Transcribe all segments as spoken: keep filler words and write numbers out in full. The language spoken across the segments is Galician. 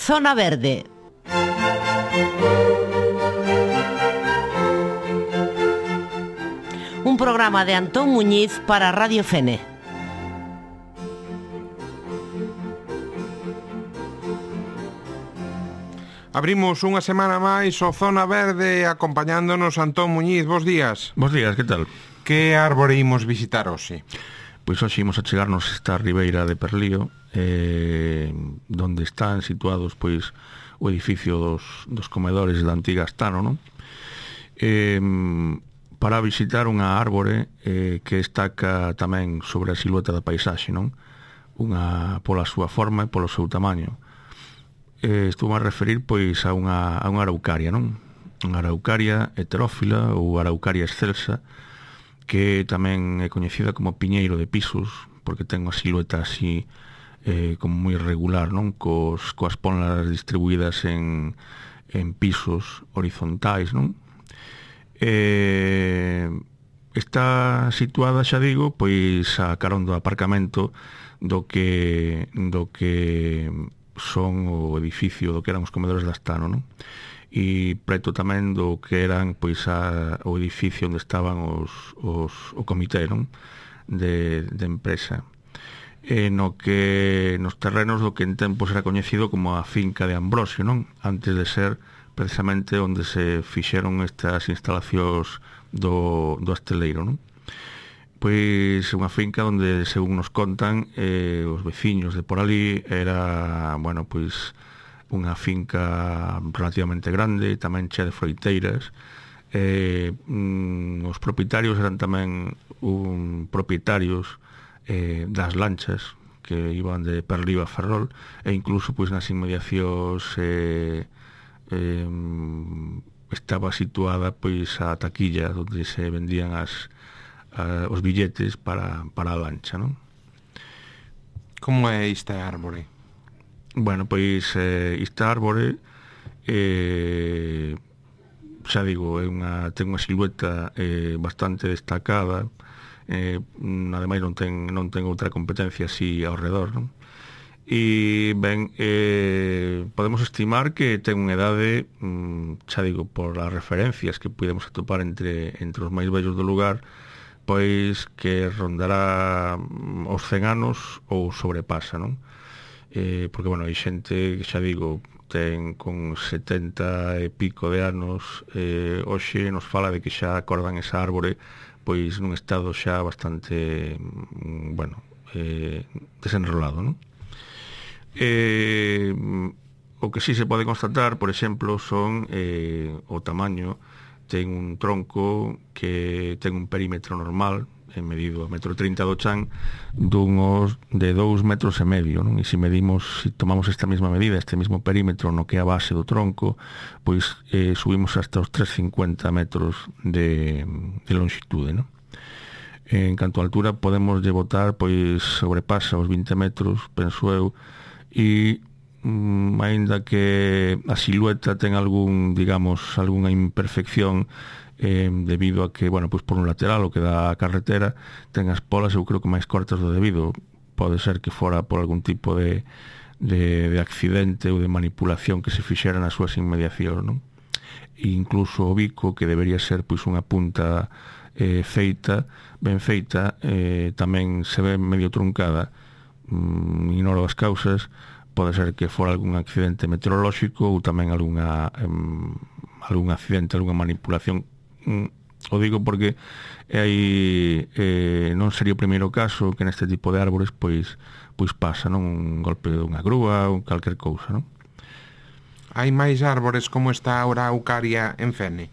Zona Verde. Un programa de Antón Muñiz para Radio Fene. Abrimos unha semana máis o Zona Verde acompañándonos Antón Muñiz. Bos días. Bos días, que tal? Que árbore imos visitar hoxe? Pois hoxe imos a chegarnos esta ribeira de Perlío, eh, donde están situados pois o edificio dos, dos comedores da antiga Astano, non? Eh, para visitar unha árbore eh, que destaca tamén sobre a silueta da paisaxe, non? Unha pola súa forma e polo seu tamaño. Eh, estou a referir pois a unha, a unha araucaria, non? Unha araucaria heterófila ou araucaria excelsa, que tamén é coñecida como piñeiro de pisos, porque ten unha silueta así eh, como moi irregular, non? Cos, coas ponlas distribuídas en, en pisos horizontais, non? Eh, está situada, xa digo, pois a carón do aparcamento do que do que son o edificio do que eran os comedores da Astano, non? E preto tamén do que eran pois a, o edificio onde estaban os, os, o comité, non? De, de empresa, e no que nos terrenos do que en tempos era coñecido como a finca de Ambrosio, non? Antes de ser precisamente onde se fixeron estas instalacións do, do asteleiro, non? Pois unha finca onde, según nos contan, eh, os veciños de por ali era, bueno, pois unha finca relativamente grande, tamén chea de froiteiras. Eh, mm, os propietarios eran tamén un, propietarios eh, das lanchas que iban de Perlío a Ferrol, e incluso pois nas inmediacións eh, eh, estaba situada pois a taquilla onde se vendían as Uh, os billetes para, para a lancha, non? Como é esta árbore? Bueno, pois eh, esta árbore eh, xa digo, é unha, ten unha silueta eh, bastante destacada, eh, ademais non ten, non ten outra competencia así ao redor, non? E ben, eh, podemos estimar que ten unha idade, mm, xa digo, por as referencias que podemos atopar entre, entre os máis vellos do lugar, pois que rondará os cen anos ou sobrepasa, non? Eh, porque, bueno, hai xente que, xa digo, ten con setenta e pico de anos, eh, hoxe nos fala de que xa acordan esa árbore pois nun estado xa bastante, bueno, eh, desenrolado, non? Eh, o que sí se pode constatar, por exemplo, son eh, o tamaño. Ten un tronco que ten un perímetro normal, medido a metro trinta do chan, dunos de dous metros e medio, non? E se medimos, se tomamos esta mesma medida, este mesmo perímetro no que é a base do tronco, pois eh, subimos hasta os trescentos e cincuenta metros de, de longitude, non? En canto a altura, podemos lle botar, pois sobrepasa os vinte metros, penso eu, e Mm, aínda que a silueta ten algún, digamos, algunha imperfección eh, debido a que, bueno, pois por un lateral o que dá a carretera ten as polas, eu creo que máis cortas do debido. Pode ser que fora por algún tipo de, de, de accidente ou de manipulación que se fixera nas súas inmediacións, non? E incluso o bico, que debería ser pois unha punta eh, feita, ben feita, eh, tamén se ve medio truncada. Mm, ignoro as causas. Pode ser que fora algún accidente meteorolóxico ou tamén algunha, um, algún accidente, algunha manipulación. Um, o digo porque hai, eh, non sería o primeiro caso que neste tipo de árbores pois, pois pasa, non? Un golpe dunha grúa ou calquer cousa, non? Hai máis árbores como esta araucaria en Fene?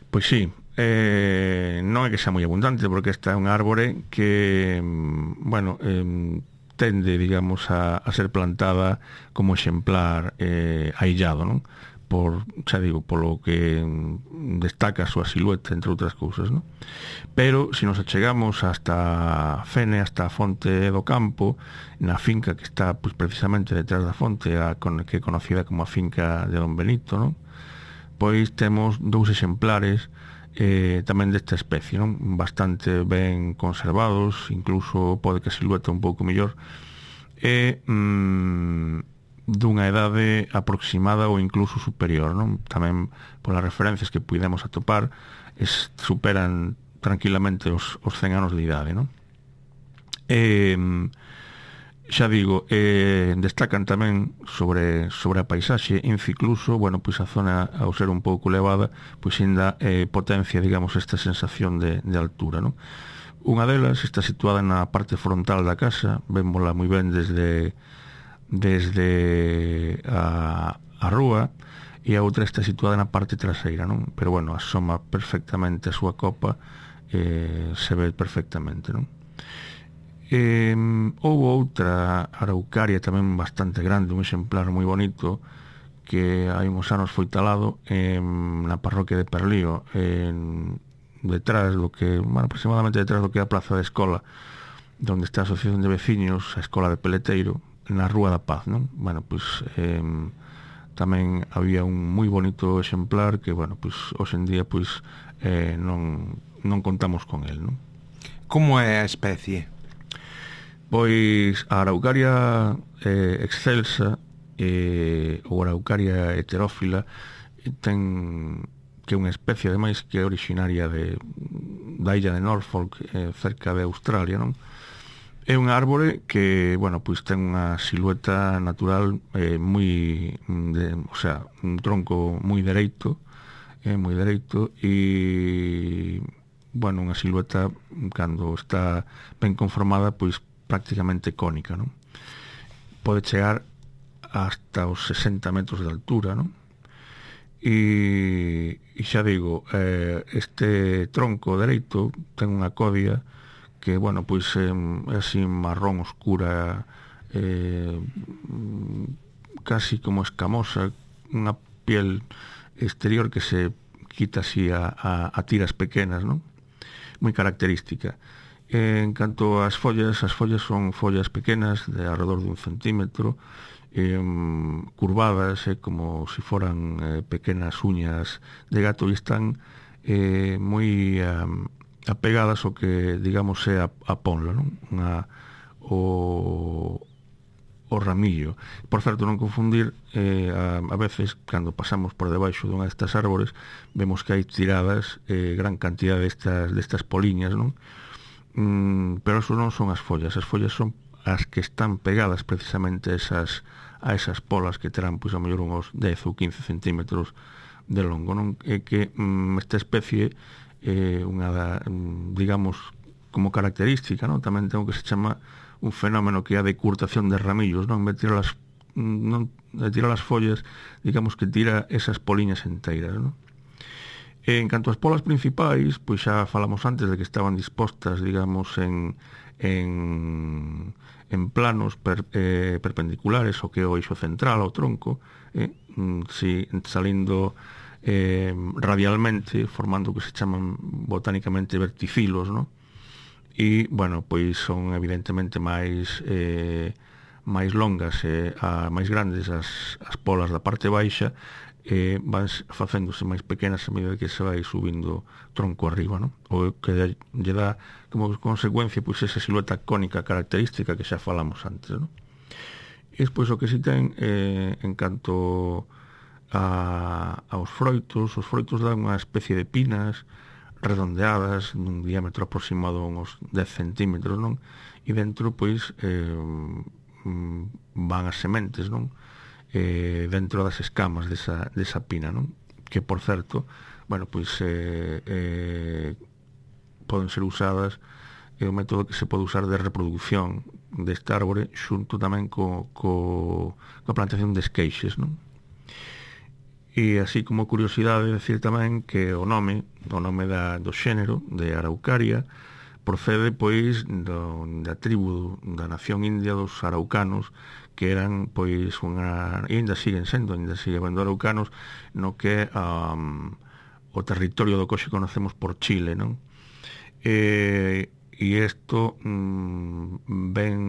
Pois sí, eh, non é que xa moi abundante, porque esta é unha árbore que, bueno, eh, tende, digamos, a, a ser plantada como exemplar eh, aillado, non? Por, xa digo, polo que destaca a súa silueta, entre outras cousas, non? Pero, se nos achegamos hasta Fene, hasta a fonte do campo, na finca que está, pois, precisamente detrás da fonte, a, que é conocida como a finca de Don Benito, non? Pois temos dous exemplares eh, tamén desta especie, non? Bastante ben conservados, incluso pode que a silueta un pouco mellor, e mm, dunha edade aproximada ou incluso superior, non? Tamén polas referencias que puidemos atopar es, superan tranquilamente os, os cen anos de idade, non? E, xa digo, eh, destacan tamén sobre, sobre a paisaxe, incluso, bueno, pois a zona, ao ser un pouco elevada, pois ainda eh, potencia, digamos, esta sensación de, de altura, non? Unha delas está situada na parte frontal da casa, vémola moi ben desde desde a, a rúa, e a outra está situada na parte traseira, non? Pero, bueno, asoma perfectamente a súa copa, eh, se ve perfectamente, non? Eh, houve outra araucaria tamén bastante grande, un exemplar moi bonito, que hai uns anos foi talado eh, na parroquia de Perlío, en, detrás do que, bueno, aproximadamente detrás do que é a plaza da escola, onde está a asociación de veciños, a escola de Peleteiro, na Rúa da Paz, non? Bueno, pois eh, tamén había un moi bonito exemplar que, bueno, pois hoxe en día pois eh, non, non contamos con el, non? Como é a especie? Pois a araucaria eh, excelsa eh, ou araucaria heterófila ten que é unha especie ademais que é originaria de, da illa de Norfolk, eh, cerca de Australia, non? É unha árbore que, bueno, pois ten unha silueta natural eh, moi, de, o sea, un tronco moi dereito, eh, moi dereito, e, bueno, unha silueta cando está ben conformada, pois prácticamente cónica, non? Pode chegar hasta os sesenta metros de altura, non? E, e xa digo, eh, este tronco dereito ten unha codia que, bueno, pois é, é así marrón oscura, eh, casi como escamosa, unha piel exterior que se quita así a, a, a tiras pequenas, non? Moi característica. En canto ás follas, as follas son follas pequenas de alrededor dun centímetro, eh, curvadas, eh, como se si foran eh, pequenas uñas de gato, e están eh, moi eh, apegadas ao que, digamos, é a, a ponla, non? Unha, o, o ramillo. Por certo, non confundir, eh, a, a veces, cando pasamos por debaixo dunha destas árbores, vemos que hai tiradas eh, gran cantidad destas, destas poliñas, non? Mm, pero eso non son as follas. As follas son as que están pegadas precisamente a esas, a esas polas que terán, pois, a mellor uns dez ou quince centímetros de longo, non? É que mm, esta especie eh, unha da, digamos, como característica, non? Tamén ten o que se chama un fenómeno que é a decurtación de ramillos, non? De tirar as, non, de tirar as follas, digamos que tira esas poliñas enteiras, non? En canto ás polas principais, pois xa falamos antes de que estaban dispostas, digamos, en, en, en planos per, eh, perpendiculares ao que é o eixo central, ao tronco, eh, si, salindo eh, radialmente, formando o que se chaman botánicamente verticilos, ¿no? E, bueno, pois son evidentemente máis eh, máis longas e eh, máis grandes as, as polas da parte baixa, eh, van facéndose máis pequenas a medida que se vai subindo tronco arriba, ¿no? O que lle dá como consecuencia pois esa silueta cónica característica que xa falamos antes, ¿no? E despois o que si ten eh, en canto a, aos froitos, os froitos dan unha especie de pinas redondeadas nun diámetro aproximado a uns dez centímetros, non? E dentro, pois, eh, van as sementes, non? Eh, dentro das escamas desa, desa pina, non? Que, por certo, bueno, pois eh, eh, poden ser usadas, é un método que se pode usar de reproducción deste árbore xunto tamén co, co, coa plantación de esqueixes, non? E así como curiosidade decir tamén que o nome, o nome da, do xénero de araucaria procede pois do, da tribu da nación india dos araucanos, que eran pois unha, e ainda siguen sendo, ainda sigue habendo araucanos no que um, o territorio do que hoxe conocemos por Chile, non? E, e isto mm, ven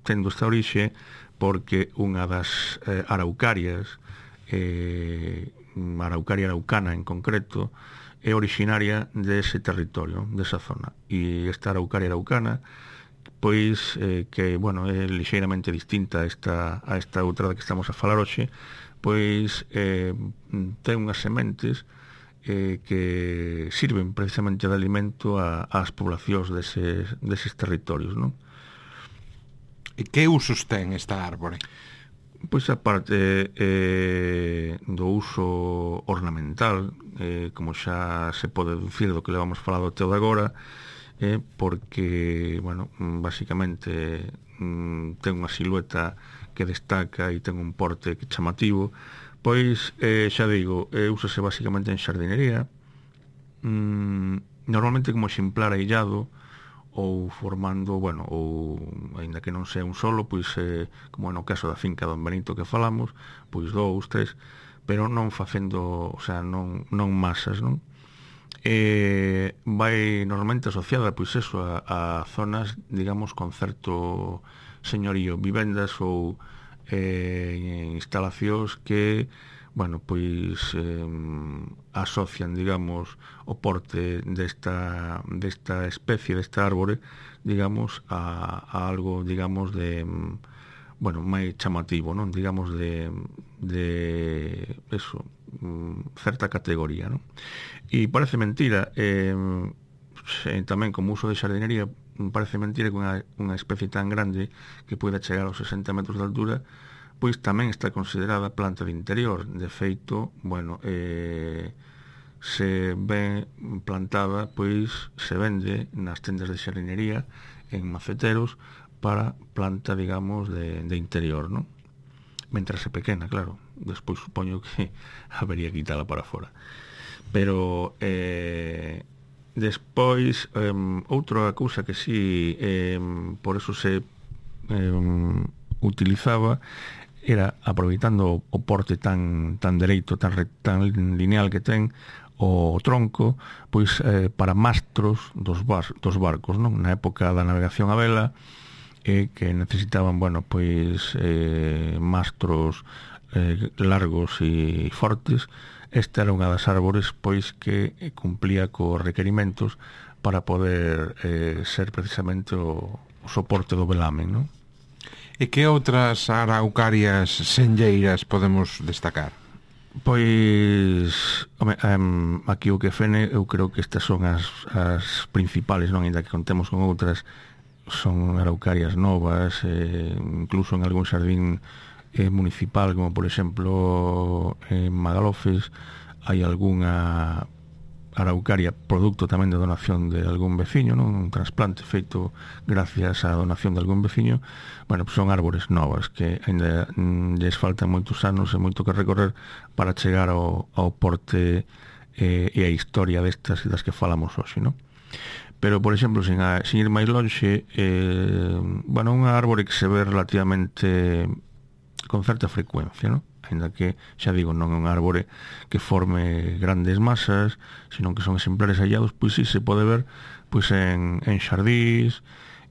tendo esta orixe porque unha das eh, araucarias, eh, araucaria araucana en concreto, é originaria dese territorio, desa zona, e esta araucaria araucana pois eh, que, bueno, é lixeiramente distinta a esta, a esta outra da que estamos a falar hoxe, pois eh, ten unhas sementes eh, que sirven precisamente de alimento a, ás poblacións deses, deses territorios, non? E que usos ten esta árbore? Pois a parte eh, do uso ornamental, eh, como xa se pode deducir do que levamos falado até o de agora, eh, porque, bueno, basicamente mm, ten unha silueta que destaca e ten un porte que chamativo, pois, eh, xa digo, eh, úsase basicamente en xardinería, mm, normalmente como exemplar aillado, ou formando, bueno, ou aínda que non sea un solo, pois eh, como no caso da finca Don Benito que falamos, pois dous, tres, pero non facendo, o sea, non, non masas, non? Eh, vai normalmente asociada, pois eso, a, a zonas, digamos, con certo señorío, vivendas ou eh, instalacións que, bueno, pois eh, asocian, digamos, o porte desta, desta especie, desta árbore, digamos, a, a algo, digamos, de, bueno, máis chamativo, non? Digamos, de, de eso, certa categoría, non? E parece mentira, eh, tamén como uso de xardinería, parece mentira que unha, unha especie tan grande que poida chegar aos sesenta metros de altura, pois tamén está considerada planta de interior. De feito, bueno, eh, se ven plantada, pois se vende nas tendas de xardinería en maceteros para planta, digamos, de, de interior, non? Mentras é pequena, claro. Despois supoño que habería que quitala para fora. Pero eh, despois eh, outra cousa que sí, eh, por eso se eh, utilizaba, era, aproveitando o porte tan tan dereito, tan, tan lineal que ten o tronco, pois eh, para mastros dos, bar, dos barcos, non? Na época da navegación a vela, eh, que necesitaban, bueno, pois eh, mastros eh, largos e fortes. Esta era unha das árbores, pois, que cumplía cos requerimentos para poder eh, ser precisamente o, o soporte do velamen, non? E que outras araucarias senlleiras podemos destacar? Pois, home, um, aquí o que fene, eu creo que estas son as, as principales, non? Ainda que contemos con outras, son araucarias novas, eh, incluso en algún xardín eh, municipal, como por exemplo en Magalofes, hai algunha araucaria producto tamén de donación de algún veciño, non? Un trasplante feito gracias á donación de algún veciño. Bueno, pues son árbores novas que ainda mm, lles faltan moitos anos e moito que recorrer para chegar ao, ao porte eh, e a historia destas das que falamos hoxe, non? Pero, por exemplo, sin, a, sin ir máis lonxe, eh, bueno, unha árbore que se ve relativamente con certa frecuencia, non? Ainda que, xa digo, non é un árbore que forme grandes masas, senón que son exemplares hallados, pois sí se pode ver pois en, en xardís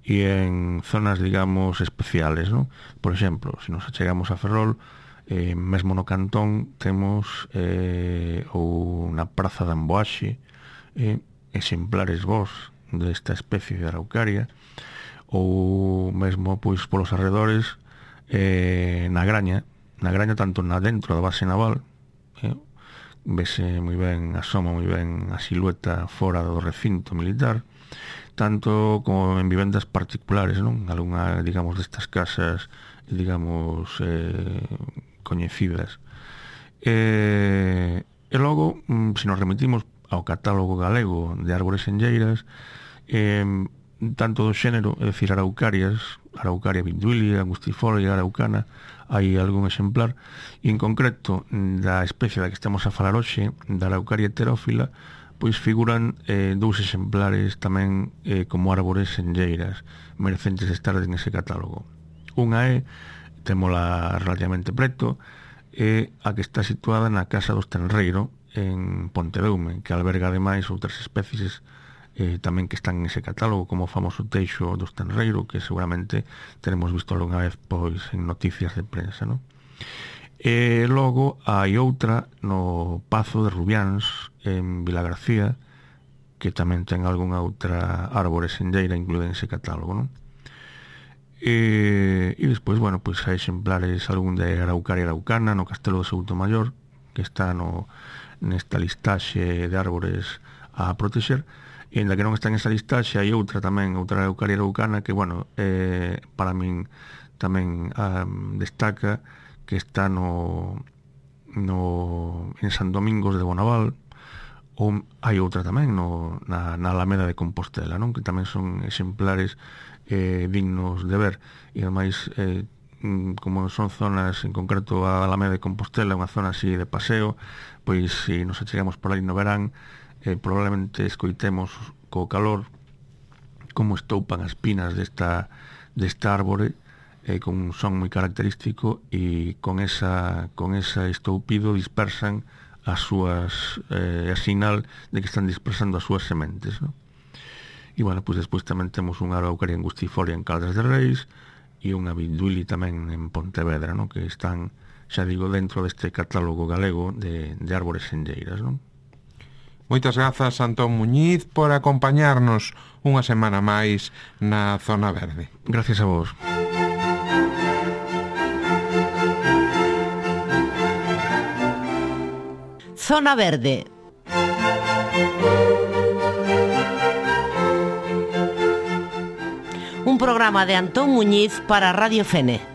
e en zonas, digamos, especiales, non? Por exemplo, se nos achegamos a Ferrol, eh, mesmo no Cantón temos eh, ou na Praza de Amboaxe eh, exemplares vos desta especie de araucaria, ou mesmo pois polos arredores eh, na Graña, na Graña tanto na dentro da base naval, eh, vese moi ben, asoma moi ben a silueta fora do recinto militar, tanto como en vivendas particulares, non? Algunha, digamos, destas casas, digamos, eh, coñecidas. E, e logo, se nos remitimos ao catálogo galego de árbores senlleiras, eh, tanto do xénero, é dicir, araucarias, araucaria vinduilia, angustifolia, araucana, hai algún exemplar, e en concreto da especie da que estamos a falar hoxe, da araucaria heterófila, pois figuran eh, dous exemplares tamén eh, como árbores senlleiras, merecentes de estar nese catálogo. Unha é, témola relativamente preto, é a que está situada na Casa dos Tenreiro, en Pontedeume, que alberga ademais outras especies eh, tamén que están nese catálogo, como o famoso teixo dos Tenreiro, que seguramente teremos visto algunha vez pois en noticias de prensa, non? E logo hai outra no Pazo de Rubiáns, en Vilagarcía, que tamén ten algunha outra árbore senlleira incluída nese catálogo, non? E, e despois, bueno, pois hai exemplares algún de Araucaria araucana no Castelo de Soutomaior, que está no, nesta listaxe de árbores a protexer, e ainda que non está en esa listaxe hai outra tamén, outra Araucaria araucana que, bueno, eh, para min tamén um, destaca, que está no, no en San Domingos de Bonaval, ou hai outra tamén no, na, na Alameda de Compostela, non? Que tamén son exemplares eh, dignos de ver, e ademais eh, como son zonas, en concreto a Alameda de Compostela, unha zona así de paseo, pois se nos achegamos por aí no verán, eh, probablemente escoitemos co calor como estoupan as pinas desta, desta árbore, eh, con un son moi característico, e con esa con ese estoupido dispersan as súas eh, a sinal de que están dispersando as súas sementes, non? E, bueno, pois despois tamén temos unha Araucaria angustifolia en Caldas de Reis e unha Vinduili tamén en Pontevedra, non? Que están, xa digo, dentro deste catálogo galego de, de árbores senlleiras, non? Moitas grazas, Antón Muñiz, por acompañarnos unha semana máis na Zona Verde. Gracias a vos. Zona Verde. Un programa de Antón Muñiz para Radio Fene.